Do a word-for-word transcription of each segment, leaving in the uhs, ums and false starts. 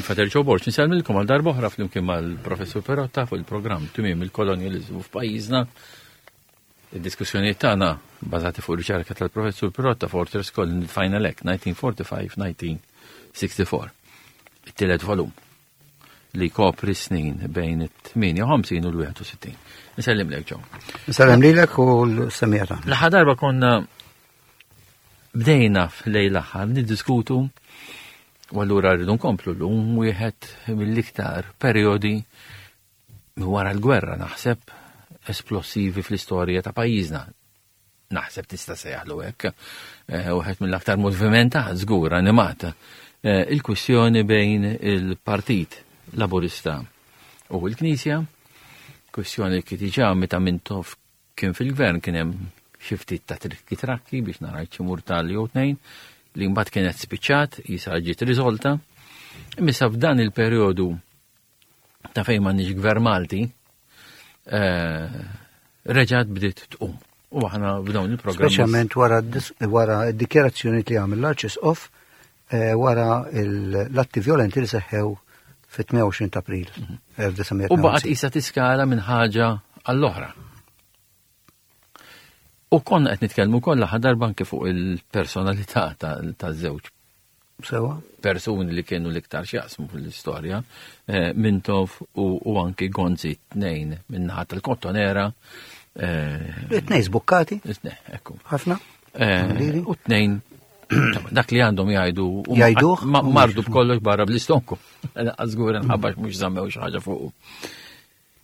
Father Joe Borg, nsellmilkom għal darb'oħra flimkien mal-Professur Perotta fuq il-programm Tmiem il-Kolonjaliżmu f'pajjiżna. Id-diskussjonijiet tagħna bażati fuq riċerka tal-Professur Perotta Fortress Colony Final Act nineteen forty-five nineteen sixty-four. It-tielet volum li kopri snin bejn it-tmienja u ħamsin u l-wieħed u sittin. Nsellimlek, Joe. Nsellem lilek u l-semmiegħa tagħna. L-aħħar darba konna bdejna f'lejl l-aħħar niddiskutu u allura rridu nkomplu llum wieħed mill-iktar periodi wara l-gwerra, naħseb, esplosivi fl-istorja ta' pajjiżna. Naħseb tista' sejjaħlu hekk. Eh, Wieħed mill-aktar movimentat, żgur animat. Eh, Il-kwistjoni bejn il-Partit Laburista u l-Knisja, kwistjoni li diġà meta Mintoff kien fil-gvern kien hemm xi ftit ta' trikki trakki biex nara xi murtali jew tnejn li mbagħad kienet spiċċat, jisa ġiet riżolta. Imma f'dan il-perjodu ta' fejn m'għandniex gvern Malti, eh, reġgħet bdiet tqum. U aħna b'dawn il-programmi. Speċjalment wara d-dis- wara d-dikjarazzjoni li għamil l-Arċisqof eh, wara il- l-atti violenti li seħħew fit-tmienja u għoxrin ta' April elf disa' mija U baqgħet isa tiskala minn ħaġa għall-oħra. U konna qed nitkellmu wkoll l-aħħar darba anke fuq il-personalità taż-żewġ Sewa? persuni li kienu l-iktar x'jaqsmu fil-istorja, eh, Mintoff u, u anki Gonzi, tnejn min-naħa tal-Kottonera. eh, It-tnejn żbukkati, It-tnejn, ekku. ħafna. Eh, Liri. U tnejn, dak li għandhom jgħidu u Jgħiduh? ma- mardu b'kollox barra bl-istonku. Żgur nħabbax mhux żammew xi ħaġa fuq.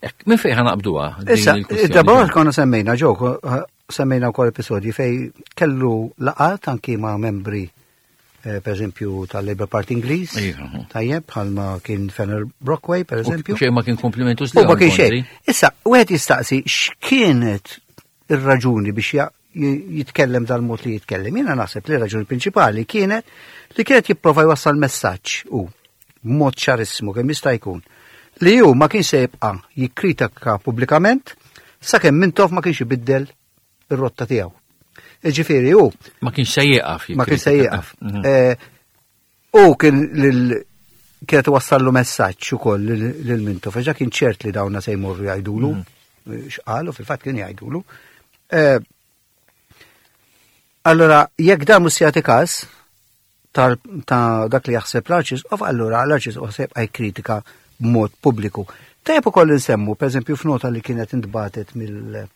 Ek, minn fejn ħa naqbduha din Issa, il-kwistjoni? id-darba konna semmejna, ġo, semmejna wkoll episodji fej kellu laqat anki ma' membri eh, per eżempju tal-Labour Party Ingliż, Iva. tajjeb, bħalma kien Fenner Brockway, per eżempju. U xejn ma kien komplimentus U ma kien xejn. Issa, wieħed jistaqsi x'kienet ir-raġuni biex ja- j- jitkellem dal-mod li jitkellem. Jiena naħseb li r-raġuni prinċipali kienet li kienet jipprova jwassal messaġġ u b'mod ċarissimu kemm jista' jkun li hu ma kienx se jibqa' jikkritika pubblikament sakemm Mintoff ma kienx ibiddel ir-rotta tiegħu. Ġifieri hu Ma kienx se jieqaf. Ma kien se jieqaf. Mhm. Eh, U kien lil kienet wassallu messaġġ ukoll lil lil Mintoff, għax kien ċert li dawna se jmorru jgħidulu, x'qalu, fil-fatt kien jgħidulu. Eh, Allora, jekk dan mhux se jagħti każ tal- ta' dak li jaħseb l-Arċisqof, allura l-Arċisqof se jibqa' jikkritika b'mod pubbliku. Tajjeb ukoll insemmu, pereżempju, f'nota li kienet intbatet mill-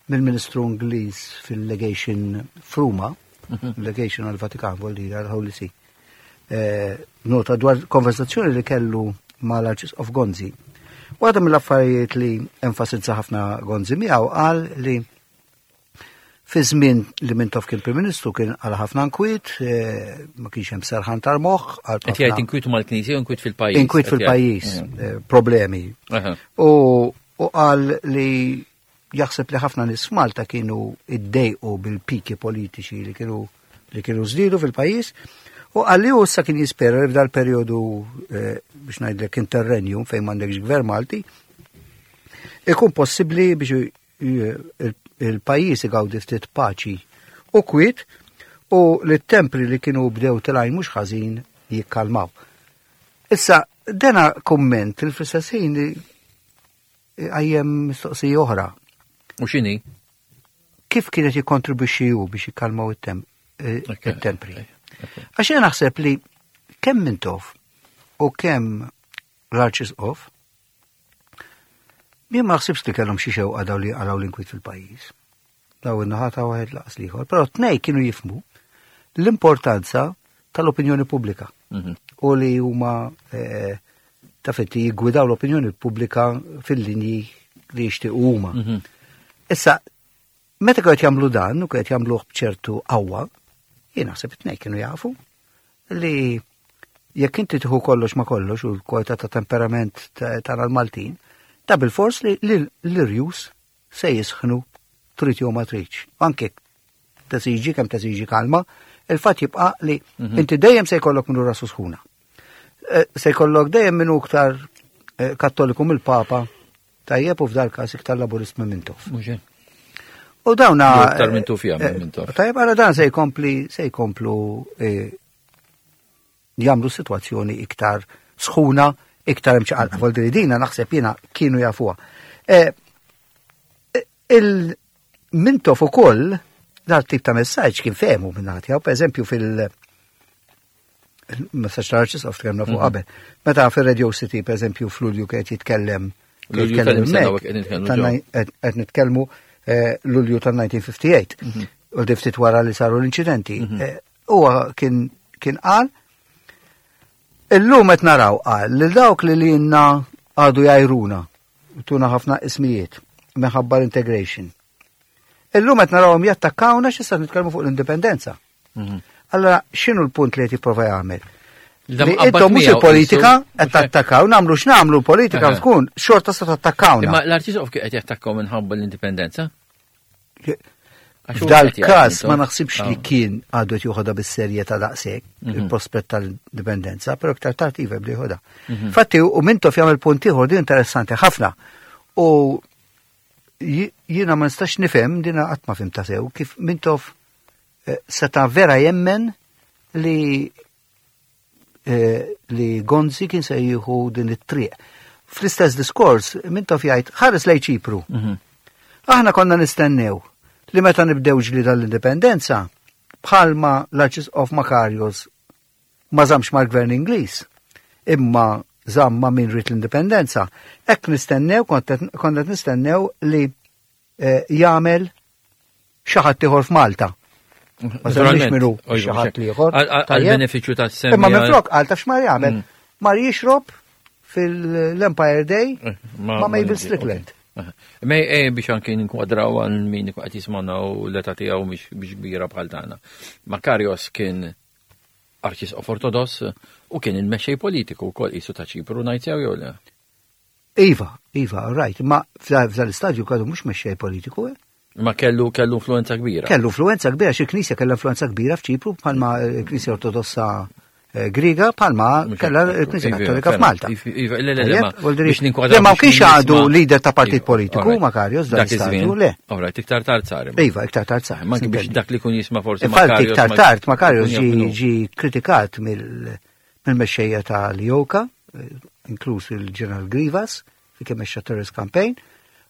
mill-Ministru Ingliż fil-Legation f'Ruma, Legation għal-Vatikan, vuol dire għal-Holy See. Eh, nota dwar konversazzjoni li kellu mal-Arċisqof Gonzi. Waħda mill-affarijiet li enfasizza ħafna Gonzi miegħu, qal li fi żmien li Mintoff kien Prim Ministru kien għal ħafna nkwiet, eh, ma kienx hemm serħan tal-moħħ, għal Qed jgħid inkwitu mal-Knisja u inkwit fil-pajjiż. Inkwit Qed jgħid. fil-pajjiż, Mhm. eh, problemi. Aha. U u qal li jaħseb li ħafna nies f'Malta kienu iddejqu bil-piki politiċi li kienu li kienu żdiedu fil-pajjiż. U qal li hu issa kien jispera li f'dal perjodu eh, biex ngħidlek interregnum fejn m'għandekx gvern Malti ikun possibbli biex il- il-pajjiż igawdi ftit paċi u kwiet u li t-tempri li kienu bdew telgħin mhux ħażin jikkalmaw. Issa, dena komment il fl-istess ħin qajjem mistoqsija oħra. U x'inhi? Kif kienet jikkontribwixxi hu biex jikkalmaw it-tem- eh, Ok, it-tempri? ok. Għax jien naħseb li kemm Mintoff u kemm l-Arċisqof, jien ma naħsibx li kellhom xi xewqa daw li għalaw l-inkwit fil-pajjiż. Daw in-naħa ta' wieħed laqas l-ieħor, però tnej kienu jifhmu l-importanza tal-opinjoni pubblika Mhm. u li huma eh, ta' fetti jiggwidaw l-opinjoni pubblika fil-linji li jixtiequ huma. Mhm. Issa, meta kienet jagħmlu dan u kienet jagħmluh b'ċertu qawwa, jien naħseb it-tnejn kienu jafu li jekk inti tieħu kollox ma kollox u l-kwalità ta' temperament ta- tal-Maltin, ta' bil-fors li li l-irjus se jisħnu trid jew ma tridx. Anke tesiġi kemm tesiġi kalma, il-fatt jibqa' li Mhm. inti dejjem se jkollok minnu rasu sħuna. Eh, Se jkollok dejjem minnu iktar eh, kattoliku mill-Papa, tajjeb, u f'dal każ iktar laburist minn Mintoff. Mhux hekk. U dawna. Jew iktar minn Tufja minn eh, Mintoff. Tajjeb, għara dan se jkompli, se jkomplu eh, jagħmlu situazzjoni iktar sħuna iktar imċaqalqa. Voldiri dina naħseb jiena kienu jafuha. Eh, Il-Mintoff ukoll dal-tip ta' messaġġ kien fehmu minn tiegħu, per eżempju fil- messaġġ tal-Arċisqof tkellimna fuq qabel. Meta fil-Radio City, per eżempju, f'Lulju kien jitkellem Lulju jitkellem tal-sena hemmhekk, qed nitkellmu tan- ġew. qed qed nitkellmu eh, Lulju tal-elf disa' mija u ħamsa u ħamsin. U ftit wara li saru l-inċidenti. Eh, Huwa kien kien qal Illum qed naraw qal li dawk li lilna għadu jgħajruna u tuna ħafna ismijiet minħabba l-integration. Illum qed narawhom jattakkawna x'issa nitkellmu fuq l-indipendenza. Allora, x'inhu l-punt li qed jipprova jagħmel? Da Li mqabbad intom mhux miegħu il-politika qisu, qed tattakkaw, nagħmlu x'nagħmlu l-politika Eħe. tkun xorta se tattakkawna. Imma l-Arċisqof kien qed jattakkaw minħabba l-indipendenza? Għax hu F'dal qed jgħid każ intom. ma naħsibx li Ah. kien għadu qed joħodha bis-serjetà daqshekk Mhm. il-prospett tal-indipendenza, però iktar tard iva bli joħodha. Fatti u Mintoff jagħmel punt ieħor din interessanti ħafna. U ji- jiena ma nistax nifhem dina qatt ma fhimtha sew kif Mintoff eh, seta' vera jemmen li eh, li Gonzi kien se jieħu din it-triq. Fl-istess diskors, Mintoff jgħid ħares lejn Ċipru. Mhm. Aħna konna nistennew li meta nibdew ġlida l-indipendenza, bħalma l-Arċisqof Makarios ma żammx mal-gvern Ingliż, imma żamm ma' min ried l-indipendenza, hekk nistennew, konna nistennew li eh, jagħmel xi ħadd ieħor f'Malta. Ma semmix min hu xi ħadd ieħor. Għal Tajjeb? benefiċċju tas-semmi. Imma minflok qal taf x'mar jagħmel. Mm. Mar jixrob fil-Empire Day Eh, ma' Mabel Strickland. Mej eh, biex anki ninkwadraw għal min qed jismana u l-età tiegħu mhix biex kbira bħal tagħna. Makarios kien arċisqof ortodoss u kien il-mexxej politiku wkoll qisu ta' Ċipru ngħid sew jew le. Iva, Iva, right, ma f'dal istadju għadu mhux mexxej politiku, eh? Ma kellu kellu influenza kbira. Kellu influenza kbira, xi knisja kellha influenza kbira f'Ċipru bħalma l-Knisja Ortodossa eh, Griega bħalma Mhux kellha hekk, l-Knisja Iva, Kattolika ferm. f'Malta. Iva, iva, le, le, le, Tajjeb, ma vuol dire- biex ninkwadraw Le, ma biex kienx min għadu jisma' leader ta' partit Iva, politiku, alright. Makarios, dan Dak iż-żmien. istadju, le. Alright, iktar tard sar. imma. Iva, iktar tard sar. Ma anki biex sintendi. dak li kun jisma' forsi Infatti, Makarios iktar ma- tard Makarios jkun jaf ġi min hu. ġi kritikat mill- mill-mexxejja ta' l-EOKA, eh, inkluż il-Ġeneral Grivas, fi kemm mexxa terrorist campaign,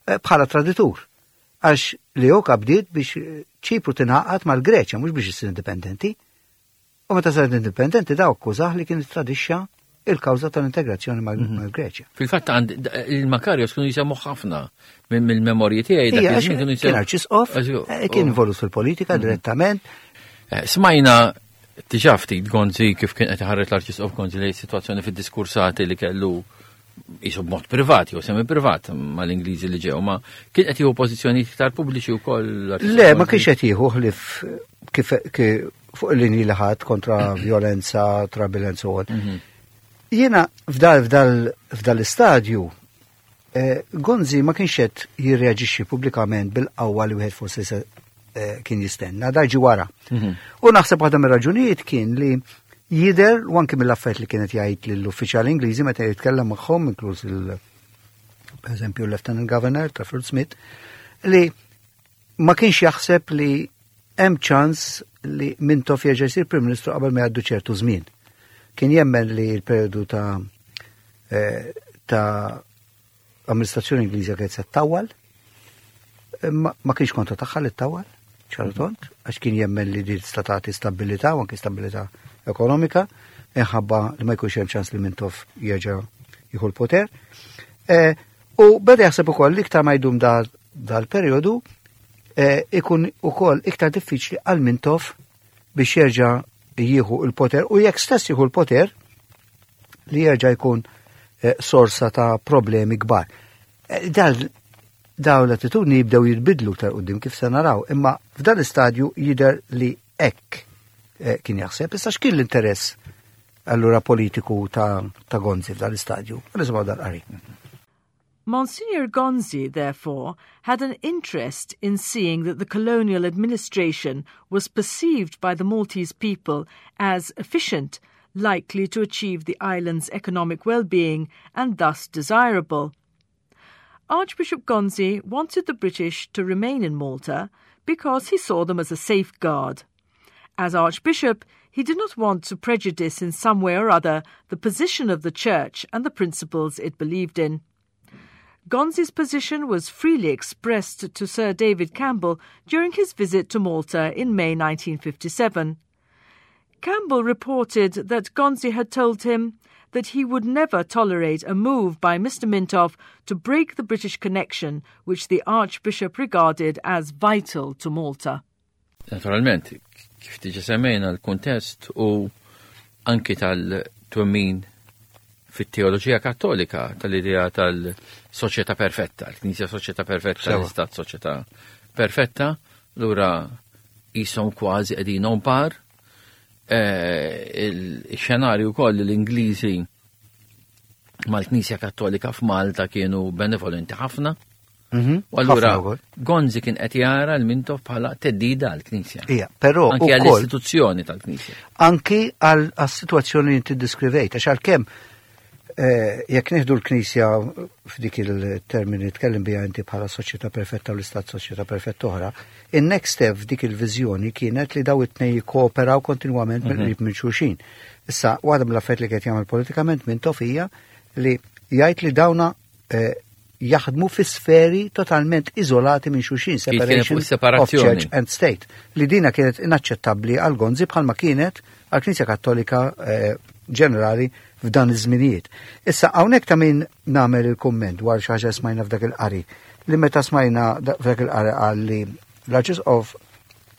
eh, bħala traditur. Għax l-EOKA bdiet biex eh, Ċipru tingħaqad mal-Greċja, mhux biex issir indipendenti. U meta saret indipendenti daw akkużah li kien tradixxa il-kawża tal-integrazzjoni mal- Mhm. mal-Greċja. Fil-fatt għand il-Makarios kienu jisemmu ħafna minn mill-memorji tiegħi dak Ija, iż-żmien kienu kien jisemmu. arċisqof, Għax- eh, kien oh. involut fil-politika direttament, Eh, Smajna diġà ftit Gonzi kif kien qed iħares l-Arċisqof Gonzi lejn sitwazzjoni fid-diskursati li kellu jisu b'mod privat jew semi privat mal-Ingliżi li ġew, ma kien qed jieħu pożizzjonijiet iktar pubbliċi wkoll l-Arċisqof Le, ma Gonzi. kienx qed jieħu ħlif kif kif fuq il-linji li ħadd kontra violenza, trouble and so on. Mhm. Jiena f'dal f'dal f'dal istadju eh, Gonzi ma kienx qed jirreaġixxi pubblikament bil-qawwa li wieħed forsi se eh, kien jistenna, da ġi wara. Mhm. U naħseb waħda mir-raġunijiet kien li jider u anki mill-affarijiet li kienet jgħid lill-uffiċjali Ingliżi meta jitkellem magħhom, inkluż il per eżempju l-Lieutenant Governor Trafford Smith, li ma kienx jaħseb li hemm ċans li Mintoff jerġa' jsir Prim Ministru qabel ma jgħaddu ċertu żmien. Kien jemmen li l-perjodu ta' eh, ta' amministrazzjoni Ingliża kienet se ttawwal, ma, ma kienx kontra tagħha li ttawwal, ċartont, għax kien jemmen li di tista' tagħti stabilità u anke stabilità ekonomika, inħabba li ma jkunx hemm ċans li Mintoff jerġa' jieħu l-poter. Eh, u beda jaħseb ukoll li iktar ma jdum dal- dal-perjodu eh, ikun ukoll iktar diffiċli għal Mintoff biex jerġa' jieħu l-poter u jekk stess jieħu l-poter li jerġa' jkun eh, sorsa ta' problemi kbar. Eh, Dal daw l-attitudni jibdew jitbidlu 'l quddiem kif se naraw, imma f'dan l-istadju jider li hekk eh, kien jaħseb, issa x'kien l-interess allura politiku ta', ta' Gonzi f'dan l-istadju? Nisimgħu dal-qari. Monsignor Gonzi, therefore, had an interest in seeing that the colonial administration was perceived by the Maltese people as efficient, likely to achieve the island's economic well-being and thus desirable. Archbishop Gonzi wanted the British to remain in Malta because he saw them as a safeguard. As Archbishop, he did not want to prejudice in some way or other the position of the Church and the principles it believed in. Gonzi's position was freely expressed to Sir David Campbell during his visit to Malta in May nineteen fifty-seven. Campbell reported that Gonzi had told him that he would never tolerate a move by Mister Mintoff to break the British connection, which the Archbishop regarded as vital to Malta. Naturalment, kif diġà semmejna l-kuntest u anki tal-twemmin fit-teoloġija Kattolika tal-idea tal-soċjetà perfetta, l-Knisja soċjetà perfetta, l-Istat soċjetà perfetta, allura jisom kważi qegħdin on par. Eh, il-xenarju koll l-Ingliżi mal-Knisja Kattolika f'Malta kienu benevolenti ħafna. Mhm. U allura Gonzi kien qed jara l-Mintoff bħala theddida għall-Knisja. Ija, però anki għall-istituzzjoni tal-Knisja. Anki għall-situazzjoni li inti deskrivejt, għax għalkemm eh, jekk nieħdu l-Knisja f'dik il-termini tkellem biha inti bħala soċjetà perfetta u l-istat soċjetà perfetta oħra, in-next step f'dik il-viżjoni kienet li daw it-tnejn jikkooperaw kontinwament mhm. mill-qrib minn xulxin. Issa, waħda mill-affarijiet li qed jagħmel politikament Mintoff hija li jgħid li dawna eh, jaħdmu fi sferi totalment izolati minn xulxin, separation of church and state, li dina kienet inaċċettabbli għal Gonzi bħalma kienet għal Knisja Kattolika eh, ġenerali f'dan iż-żminijiet. Issa, hawnhekk ta' min nagħmel il-kumment dwar xi ħaġa smajna f'dak il-qari, li meta smajna f'dak il-qari qal li l-Arċisqof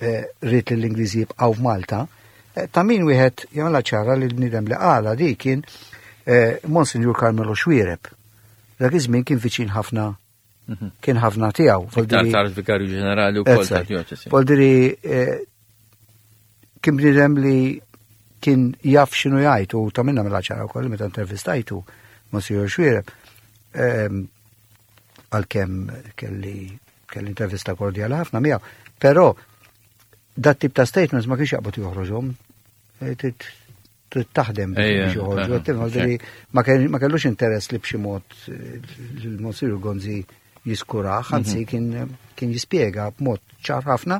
eh, ried li l-Ingliżi jibqgħu f'Malta, eh, ta' min wieħed jagħmilha ċara li l-bniedem li qala di kien eh, Monsignor Carmelo Xuereb. Dak iż-żmien kien viċin ħafna, mhm. kien ħafna tiegħu. Tard vikarju ġenerali wkoll tad-djoċesi. Voldiri kien bniedem li kien jaf x'inhu jgħid u ta' minna mela ċara wkoll meta intervistajtu Monsignor Xuereb, ehm, għalkemm kelli kelli intervista kordjali ħafna miegħu, però dat tip ta' statements ma kienx jaqbad joħroġhom. Eh, trid taħdem biex joħorġu. Ma kellux interess li b'xi mod eh, l-Monsignor Gonzi jiskuraħ, anzi mhm. kien jispjega b'mod ċar ħafna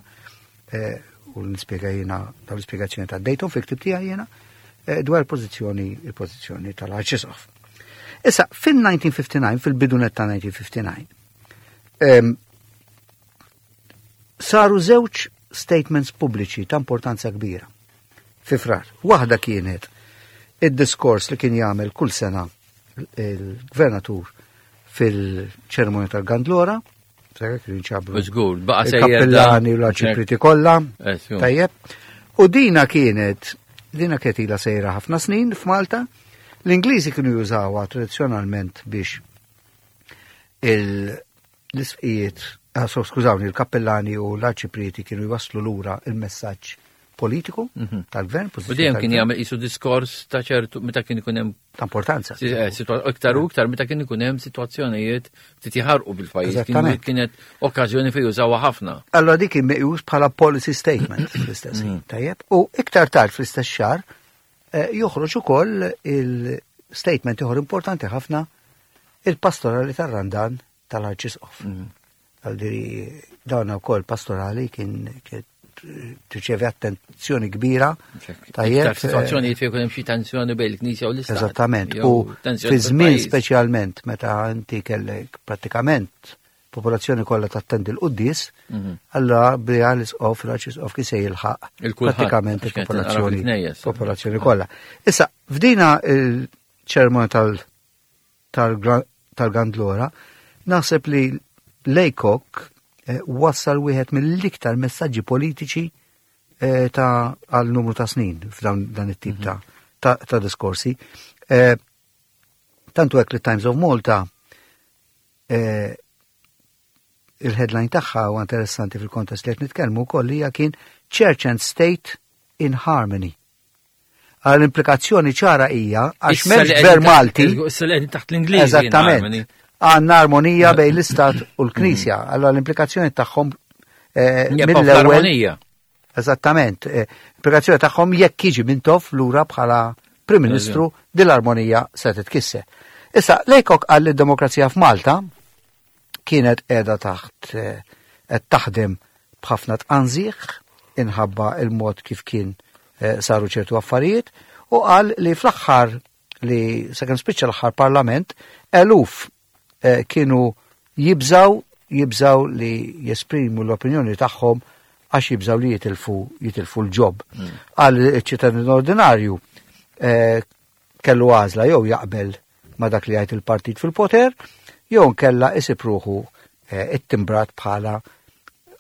eh, u nispjega jiena dawn l-ispjegazzjoni ta' Dayton fi ktib tiegħi jiena eh, dwar il-pożizzjoni il-pożizzjoni tal-Arċisqof. Issa, fil-elf disa' mija u ħamsa u ħamsin, fil-bidunet ta' elf disa' mija u ħamsa u ħamsin, saru żewġ statements pubbliċi ta' importanza kbira fi Frar. Waħda kienet id-diskors li kien jagħmel kull sena il-gvernatur fil-ċerimonja tal-Gandlora, Żgur, baqa' il-kappellani u l-arċipriti kollha. Eh, Tajjeb. U dina kienet, dina kienet ilha sejra ħafna snin f'Malta. L-Ingliżi kienu jużawha tradizzjonalment biex l-isqfijiet, ah, so, skużawni, il-kappellani u l-arċipriti kienu jwaslu lura il-messaġġ politiku mhm. tal-gvern. U dejjem kien jagħmel qisu diskors ta' ċertu meta kien ikun hemm ta' importanza. Eh, iktar u iktar meta kien ikun hemm sitwazzjonijiet ftit jħarqu bil-pajjiż. Kienet okkażjoni fejn jużawha ħafna. Allora dik kien meqjus bħala policy statement fl-istess ħin, mhm. tajjeb. U iktar tard fl-istess xahar eh, joħroġ ukoll il-statement ieħor importanti ħafna, il-pastorali tar-Randan tal-Arċisqof. Mhm. Għaldiri dawn ukoll pastorali kien tirċevi attenzjoni kbira. Tajjeb. Situazzjoni fejn hemm xi tensjoni bejn il-Knisja u l-Istat. Eżattament. U fi żmien speċjalment meta inti kellek prattikament popolazzjoni kollha tattendi l-quddies, mhm. allora bija l-isqof, l-arċisqof kif se jilħaq prattikament il-popolazzjoni popolazzjoni kollha. Issa, f'dina il-ċermonja tal-Gandlora, naħseb li Laycock eh, wassal wieħed mill-iktar messaġġi politiċi eh, ta' għal numru ta' snin f'dan dan it-tip ta' ta', ta diskorsi. Eh, tantu hekk li Times of Malta, il-headline tagħha huwa interessanti fil-kontest li qed nitkellmu wkoll, hija kien "Church and State in Harmony". Għal implikazzjoni ċara hija għax m'hemmx gvern Malti. Issa li taħt l-Ingliż. Eżattament. Għandna armonija bejn l-Istat u l-Knisja. Allora l-implikazzjoni tagħhom eh, mill-ewwel. Eżattament. Eh, implikazzjoni tagħhom jekk jiġi Mintoff lura bħala Prim Ministru, din l-armonija se titkisser. Issa, Laycock qal li d-demokrazija f'Malta kienet qiegħda taħt eh, qed taħdem b'ħafna tqanżiħ. inħabba il-mod kif kien eh, saru ċertu affarijiet u qal li fl-aħħar li sakemm spiċċa l-aħħar parlament eluf eh, kienu jibżaw jibżaw li jesprimu l-opinjoni tagħhom għax jibżaw li jitilfu jitilfu l-job. Qal iċ-ċittadin ordinarju eh, kellu għażla jew jaqbel ma dak li jgħid il-partit fil-poter, jew nkella isib ruħu eh, ittimbrat bħala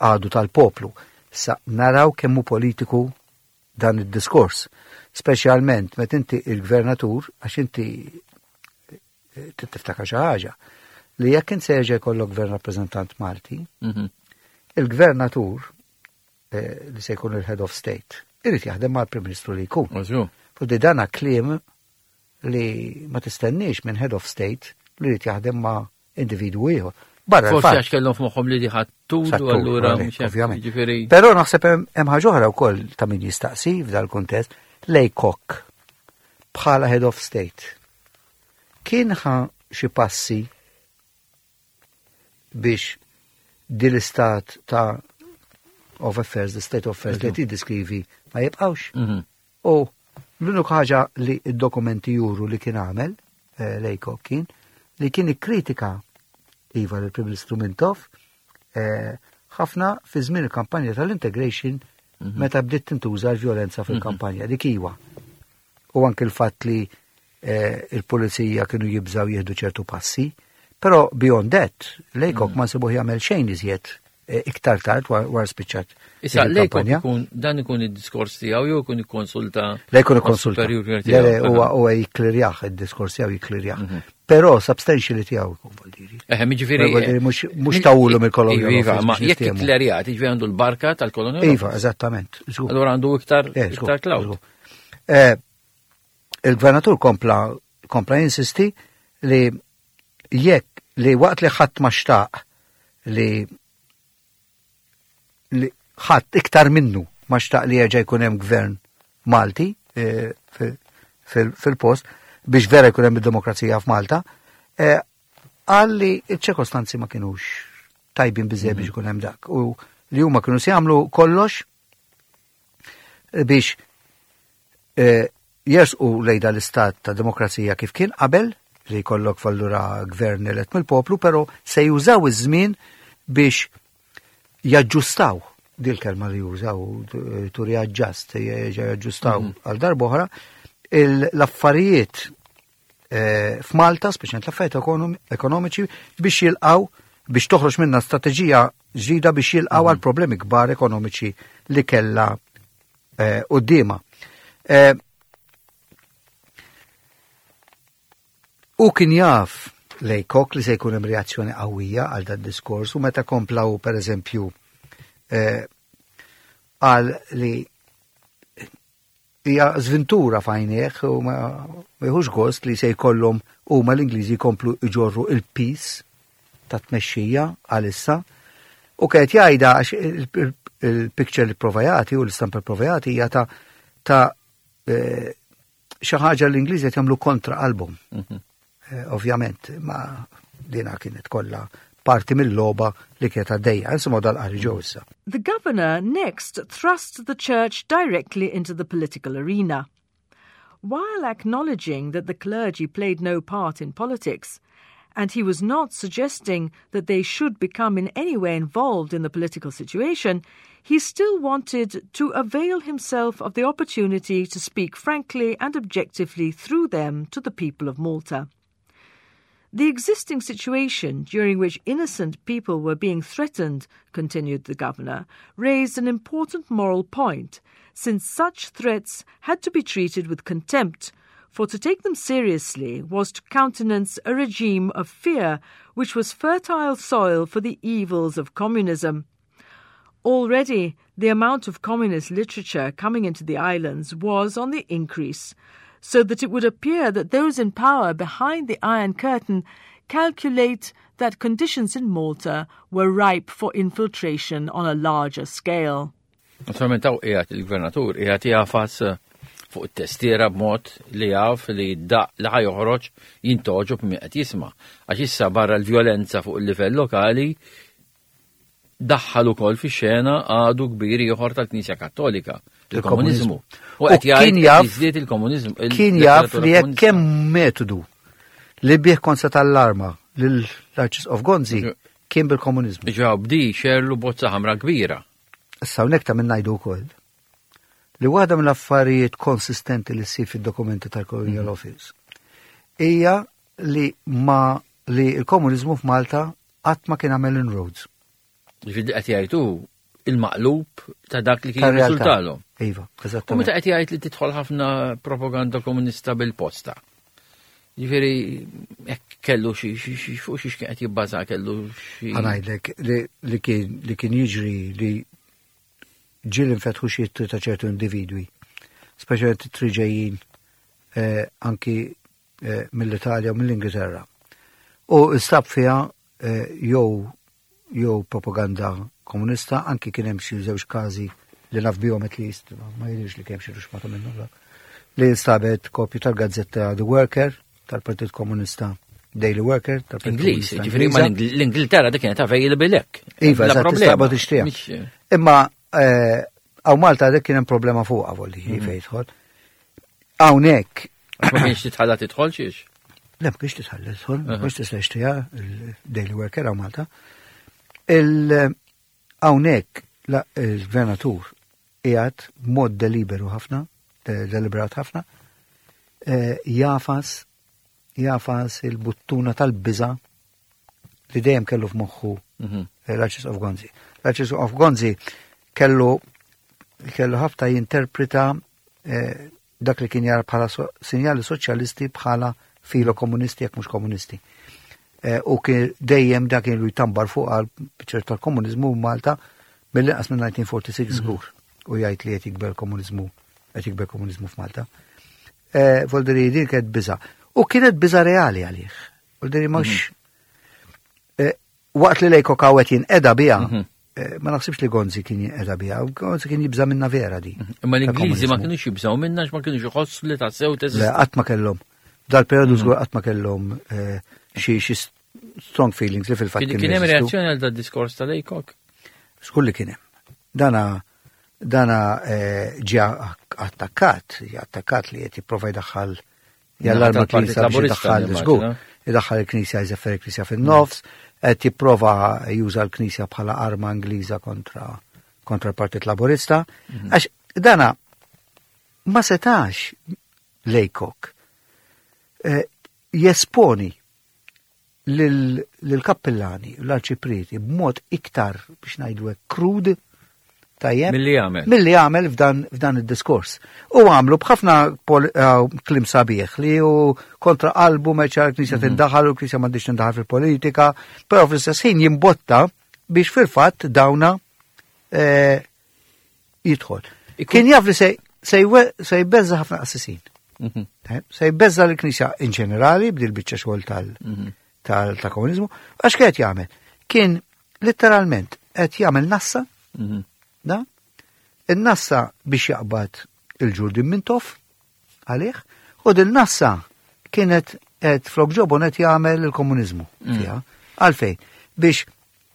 għadu tal-poplu. Sa naraw kemm hu politiku dan id-diskors. Speċjalment meta inti il-gvernatur, għax inti eh, tiftakar xi ħaġa, li jekk int se jerġa' jkollok gvern rappreżentant Malti, Mhm. il-gvernatur eh, li se jkun il-head of state, irid jaħdem mal-Prim Ministru li jkun. Użu. Fudi dana kliem li ma tistenniex minn head of state li jrid jaħdem ma' individwu ieħor. Barra Forsi l-fatt. għax kellhom f'moħħhom li diħat tul Sattur, allura għalek, mhux hekk, ovvjament. Jiġifieri Però naħseb hemm hemm ħaġa oħra wkoll ta' min jistaqsi f'dal kuntest, Laycock bħala head of state. Kien ħa xi passi biex din l-istat ta' of affairs, the state of affairs li tiddiskrivi ma jibqawx. Mhm. U l-unika ħaġa li id-dokumenti juru li kien għamel eh, Laycock kien li kien ikkritika iva l-Prim Ministru Mintoff eh, ħafna fi żmien il-kampanja tal-integration meta bdiet tintuża l-vjolenza fil-kampanja dik iwa. U anke il-fatt li eh, il-pulizija kienu jibżaw jieħdu ċertu passi, però beyond that, Laycock ma nsibuh jagħmel xejn iżjed eh, iktar tard war, war spiċċat Issa dik Laycock il-kampanja. ikun dan ikun id-diskors tiegħu jew ikun ikkonsulta Le jkun ikkonsulta. mas-superior Le, le, tiegħu. huwa huwa jikklirjah id-diskors tiegħu jikklirjah. Però substantially tiegħu jkun vuol Eħe, jiġifieri. Vuol dire mhux mhux tawulu mill-Colonial Iva, Office ma biex jekk niftehmu. ikklerjat, jiġifieri għandu l-barka tal-Colonial Iva, Office. eżattament. żgur. Allura għandu iktar Eh, żgur, iktar clout. żgur. Eh, Il-gvernatur kompla kompla jinsisti li jekk li waqt li ħadd ma xtaq li li ħadd iktar minnu ma xtaq li jerġa' jkun hemm gvern Malti eh, fil- fil- fil-post biex vera jkun hemm id-demokrazija f'Malta, eh, qal li ċ-ċirkostanzi ma kienux tajbin biżejjed biex ikun hemm dak u li huma kienu se jagħmlu kollox biex eh, jersqu lejn l-istat ta' demokrazija kif kien qabel li jkollok fallura gvern elett mill-poplu, però se jużaw iż-żmien biex jaġġustaw dil kelma li jużaw to readjust, jaġġustaw għal darb'oħra il- l-affarijiet eh, f'Malta, speċjalment l-affarijiet ekonomi- ekonomiċi, biex jilqaw biex toħroġ minna strateġija ġdida biex jilqaw għal problemi kbar ekonomiċi li kella eh, qudiema. Eh, U kien jaf Laycock li se jkun hemm reazzjoni qawwija għal dan diskors u meta komplaw per eżempju eh, qal li hija żventura f'għajnejh u ma ma jieħux gost li se jkollhom huma l-Ingliżi jkomplu iġorru il-piż ta' tmexxija għalissa u kienet jgħidha għax il- il- il-picture li prova jagħti u l-istampa li prova jagħti hija ta' ta' eh, xi ħaġa l-Ingliżi qed jagħmlu kontra qalbhom. Eh, Ovvjament, ma dina kienet kollha parti mill-logħba li kienet għaddejja. Insomma dal-qari ġew issa. The governor next thrust the church directly into the political arena. While acknowledging that the clergy played no part in politics, and he was not suggesting that they should become in any way involved in the political situation, he still wanted to avail himself of the opportunity to speak frankly and objectively through them to the people of Malta. The existing situation, during which innocent people were being threatened, continued the governor, raised an important moral point, since such threats had to be treated with contempt, for to take them seriously was to countenance a regime of fear which was fertile soil for the evils of communism. Already, the amount of communist literature coming into the islands was on the increase, so that it would appear that those in power behind the Iron Curtain calculate that conditions in Malta were ripe for infiltration on a larger scale. Naturalment hawn qiegħed il-gvernatur qiegħed jagħfas eh, fuq it-testiera b'mod li jaf li daq li ħa joħroġ jintogħġob min qed jisma'. Għax issa barra l-vjolenza fuq il-livell lokali Daħħal ukoll fix-xena għadu kbir ieħor tal-Knisja Kattolika, il-komuniżmu. U U qed jgħid kien jaf- jiżdied il-komuniżmu. Kien jaf li jekk hemm metodu li bih kont se tallarma lill-Arċisqof Gonzi kien bil-komuniżmu. Ġew bdi xerlu bozza ħamra kbira. Issa hawnhekk ta' minn ngħidu wkoll li waħda mill-affarijiet konsistenti li ssir fid-dokumenti tal-Colonial Office hija li ma li l-komuniżmu f'Malta qatt ma kien għamel inroads. Ġifieri qed jgħidu il-maqlub ta' dak li kien Tar-realtà. jirriżultalhom. Iva, U meta eżattament. qed jgħid li tidħol ħafna propaganda komunista bil-posta. Ġifieri hekk kellu xi xi xi fuq xi kien qed jibbaża kellu xi Ħa ngħidlek li, li kien li kien jiġri li ġieli nfetħu xi ittri ta' ċertu individwi, speċjalment ittri ġejjin eh, anki eh, mill-Italja u mill-Ingilterra. U nstab fiha eh, jew jew propaganda komunista, anki kien hemm xi żewġ każi li naf bihom at least, ma jidhirx li kien hemm xi ruxmata minnhom dak, li nstabet kopju tal-gazzetta The Worker tal-Partit Komunista, Daily Worker tal-Partit Ingliż, Komunista ġifieri ma Ingliża. l-Ingilterra dik kienet available hekk. Iva, Bla eżatt, problema. tista' tixtriha. Mhix- Imma eh, hawn Malta dik kien hemm problema fuqha volli Mhm. fejn jidħol. Hawnhekk Ma kienx titħalla tidħol xiex. Le, ma kienx titħalla tidħol, ma Aha. kienx tista' tixtriha il-Daily Worker hawn Malta. Il hawnhekk la- il-gvernatur qiegħed b'mod deliberu ħafna, de- deliberat ħafna, eh, jagħfas jagħfas il-buttuna tal-biża li dejjem kellu f'moħħu Mhm. eh, l-Arċisqof Gonzi. L-Arċisqof Gonzi kellu kellu ħafna jinterpreta eh, dak li kien jara bħala so, sinjali soċjalisti bħala filo komunisti jekk mhux komunisti. Eh, u kien dejjem dak kienu jtambar fuq għal ċertu tal-komuniżmu Malta mill-inqas minn elf disa' mija u sitta u erbgħin żgur u jgħid li qed jikber komuniżmu qed jikber komuniżmu f'Malta. Eh, Voldiri din kienet biża. U kienet biża reali għalih. Voldiri mhux eh, waqt li Laycock qed jinqeda biha, Mhm. eh, ma naħsibx li Gonzi kien jinqeda biha, Gonzi kien jibża minna vera di. Imma l-Ingliżi ma tal-komuniżmu. kienux jibżgħu minna ma kienux iħossu li tassew Le, teżisti. qatt ma kellhom. Dal-periodu żgur qatt ma kellhom eh, xi xi strong feelings li fil-fatt Kien kienu kien hemm jeżistu. reazzjoni għal dat diskors ta' Laycock? Żgur li kien hemm. Dana dana eh, ġie attakkat, ġie attakkat li qed jipprova jdaħħal jallarma tal-Partit l-Knisja biex Laburista, jdaħħal nimmaġina. żgur. Idaħħal il-Knisja jżeffer il-Knisja fin-nofs, qed jipprova juża l-Knisja bħala arma Ingliża kontra kontra l-Partit Laburista. Għax dana ma setax Laycock eh, jesponi lil- lill-kappillani u l-arċiprieti b'mod iktar biex ngħidu hekk krud tajjeb Milli għamel. milli għamel f'dan, f'dan id-diskors. U għamlu b'ħafna pol- eh, kliem sabiħ li hu kontra qalbu meċa l-Knisja tindaħal u l-Knisja m'għandix tindaħal fil-politika, però fl-istess ħin jimbotta biex fil-fatt dawna eh, jidħol. Ikun- Kien jaf li se se jwe- se jbeżza ħafna qassisin. Mhm. Tajjeb, Se jbeżza l-Knisja in ġenerali b'dil biċċa xogħol tal- Mhm. tal- tal-komuniżmu, għax qed jagħmel? Kien letteralment qed jagħmel nassa Mhm. da? Il-nassa biex jaqbad il-ġurdin Mintoff għalih, u din nassa kienet qed flok ġobon qed jagħmel il-komuniżmu Mm. fiha. Għalfejn, biex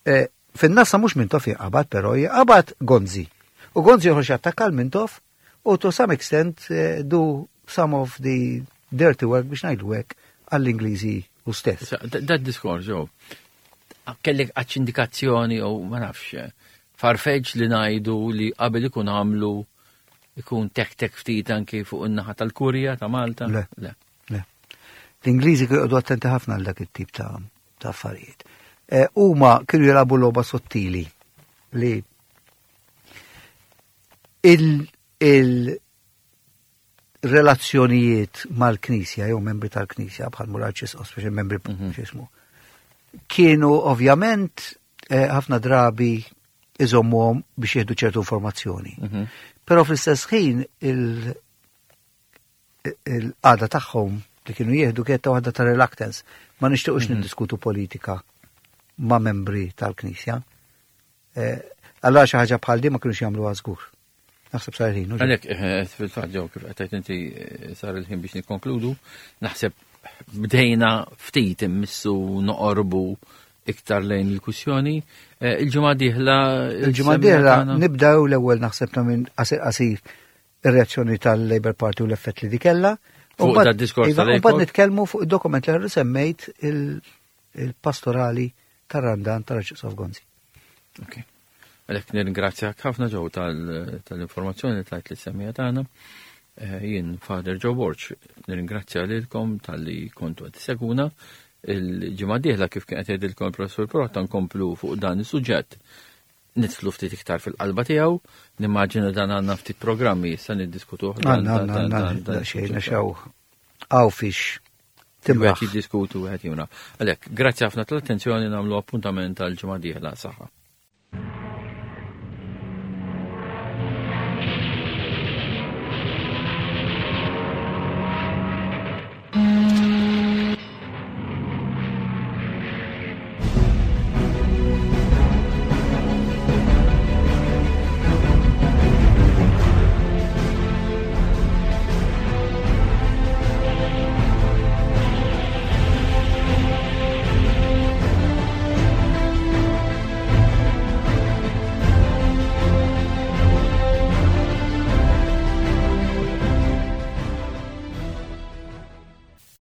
eh, fin-nassa mhux Mintoff jaqbad, però jaqbad Gonzi. U Gonzi joħroġ jattakka l-Mintoff u to some extent eh, do some of the dirty work biex ngħidu hekk għall-Ingliżi u stess. Issa, da- Dat diskors, ġew. Kellek għax indikazzjoni u ma nafx, farfetch li ngħidu li qabel ikun għamlu ikun tek tek ftit anki fuq in-naħa tal-Kurja ta' Malta. Le. Le. Le. L-Ingliżi kienu joqogħdu attenti ħafna għal dak it-tip ta' ta' affarijiet. Eh, Huma kienu jilagħbu logħba sottili li il- il-relazzjonijiet mal-Knisja jew membri tal-Knisja bħal Muraċis, speċi membri Mhm. x'ismu, kienu ovvjament eh, ħafna drabi iżommuhom biex jieħdu ċertu informazzjoni. Mhm. Però fl-istess ħin il- il-qagħda tagħhom li kienu jieħdu kienet ta' waħda ta' reluctance. Ma nixtiequx niddiskutu politika ma' membri tal-Knisja. Eh, Allora xi ħaġa bħal di ma kienux jagħmluha żgur. Naħseb sar il-ħin. u ġej. Għalek, eh, fil-fatt ġew kif qed inti eh, sar il-ħin biex nikkonkludu, naħseb bdejna ftit immissu noqorbu Iktar lejn il-kwistjoni. Eh, Il-ġimgħa dieħla. Il-ġimgħa dieħla nibdew l-ewwel, naħseb, ta' minn qasir qasir ir-reazzjoni tal-Labour Party u l-effett li dikella. Fuq U mbagħad- dad-diskors Iva, u tal-Labour? mbagħad nitkellmu fuq id-dokument li semmejt, il- il-pastorali tar-Randan tal-Arċisqof Gonzi. Ok. Għalhekk nirringrazzjak ħafna, Joe, tal- tal-informazzjoni li tajt lis-semmiegħa tagħna. Eh, Jien Father Joe Borg, nirringrazzja lilkom talli kontu qed segwuna. Il-ġimgħa dieħla, kif kien qed jgħidilkom il-Professur Pirotta, nkomplu fuq dan is-suġġett. Nidħlu ftit iktar fil-qalba tiegħu, nimmaġina dan għandna ftit programmi issa niddiskutuh. dan- Għanna, dan- għanna, dan- għanna, dan- xejn, xaw, għaw fix timraħ. timraħ. Jiddiskutu wieħed jimra. Għalhekk, grazzi ħafna tal-attenzjoni, nagħmlu appuntament għal ġimgħa dieħla, saħħa.